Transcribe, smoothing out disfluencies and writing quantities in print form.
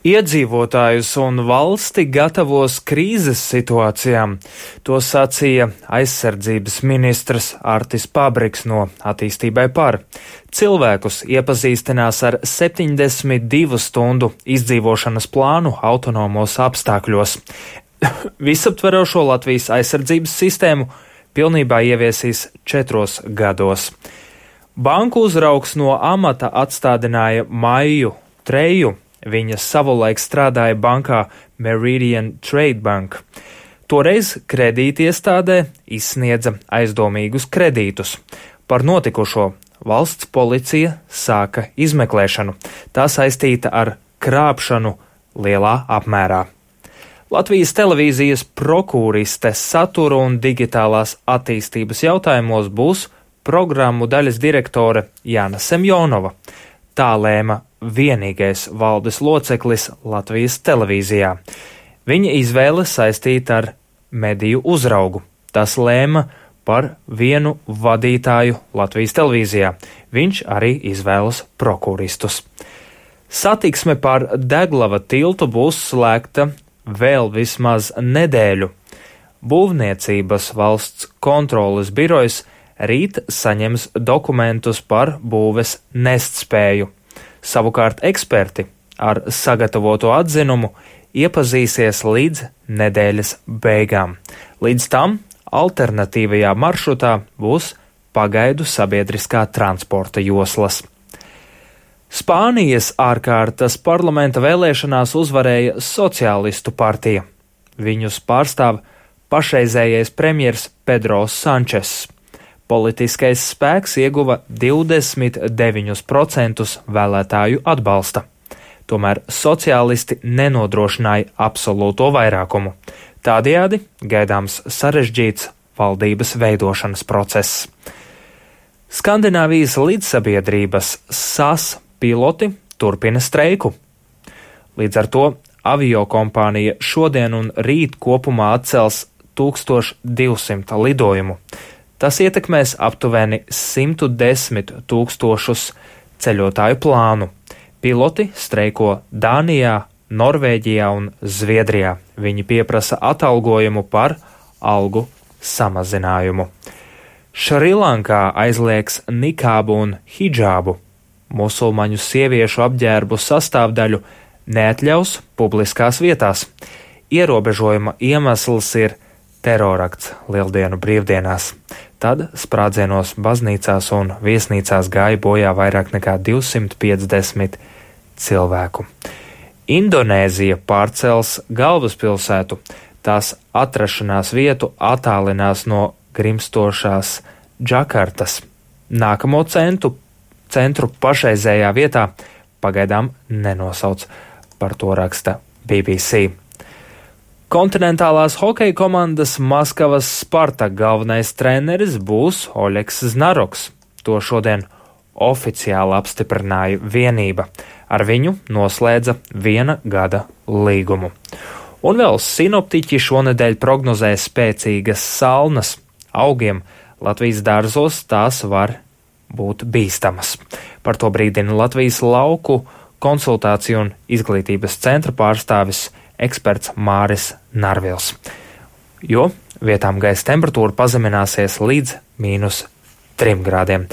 Iedzīvotājus un valsti gatavos krīzes situācijām. To sacīja aizsardzības ministrs Artis Pabriks no Attīstībai par. Cilvēkus iepazīstinās ar 72 stundu izdzīvošanas plānu autonomos apstākļos. Visaptverošo Latvijas aizsardzības sistēmu pilnībā ieviesīs 4 gados. Banku uzraugs no amata atstādināja Maiju Treju. Viņa savulaik strādāja bankā Meridian Trade Bank. Toreiz kredītiestādē izsniedza aizdomīgus kredītus. Par notikušo valsts policija sāka izmeklēšanu. Tā saistīta ar krāpšanu lielā apmērā. Latvijas televīzijas prokuriste satura un digitālās attīstības jautājumos būs programmu daļas direktore Jāna Semjonova. Tā lēma vienīgais valdes loceklis Latvijas televīzijā. Viņa izvēle saistīta ar mediju uzraugu. Tas lēma par vienu vadītāju Latvijas televīzijā. Viņš arī izvēlas prokuristus. Satiksme pār Deglava tiltu būs slēgta vēl vismaz nedēļu. Būvniecības valsts kontroles birojas rīt saņems dokumentus par būves nestspēju. Savukārt eksperti ar sagatavoto atzinumu iepazīsies līdz nedēļas beigām. Līdz tam alternatīvajā maršrutā būs pagaidu sabiedriskā transporta joslas. Spānijas ārkārtas parlamenta vēlēšanās uzvarēja Sociālistu partija. Viņus pārstāv pašreizējais premjers Pedro Sančes. Politiskais spēks ieguva 29% vēlētāju atbalsta. Tomēr sociālisti nenodrošināja absolūto vairākumu. Tādējādi gaidāms sarežģīts valdības veidošanas process. Skandināvijas līdzsabiedrības SAS piloti turpina streiku. Līdz ar to aviokompānija šodien un rīt kopumā atcels 1200 lidojumu. Tas ietekmēs aptuveni 110 000 ceļotāju plānu. Piloti streiko Dānijā, Norvēģijā un Zviedrijā. Viņi pieprasa atalgojumu par algu samazinājumu. Šrilankā aizliegs nikābu un hidžābu. Musulmaņu sieviešu apģērbu sastāvdaļu neatļaus publiskās vietās. Ierobežojuma iemesls ir terorakts Lieldienu brīvdienās. Tad sprādzienos baznīcās un viesnīcās gāja bojā vairāk nekā 250 cilvēku. Indonēzija pārcels galvaspilsētu. Tās atrašanās vietu attālinās no grimstošās Džakartas. Nākamo centru pašreizējā vietā pagaidām nenosauc, par to raksta BBC. Kontinentālās hokeja komandas Maskavas Spartak galvenais treneris būs Oļegs Znaroks. To šodien oficiāli apstiprināja vienība. Ar viņu noslēdza 1 gada līgumu. Un vēl sinoptiķi šonedēļ prognozē spēcīgas salnas. Augiem Latvijas dārzos tās var būt bīstamas. Par to brīdina Latvijas lauku konsultāciju un izglītības centra pārstāvis eksperts Māris Narvils, jo vietām gaisa temperatūra pazemināsies līdz -3 grādiem.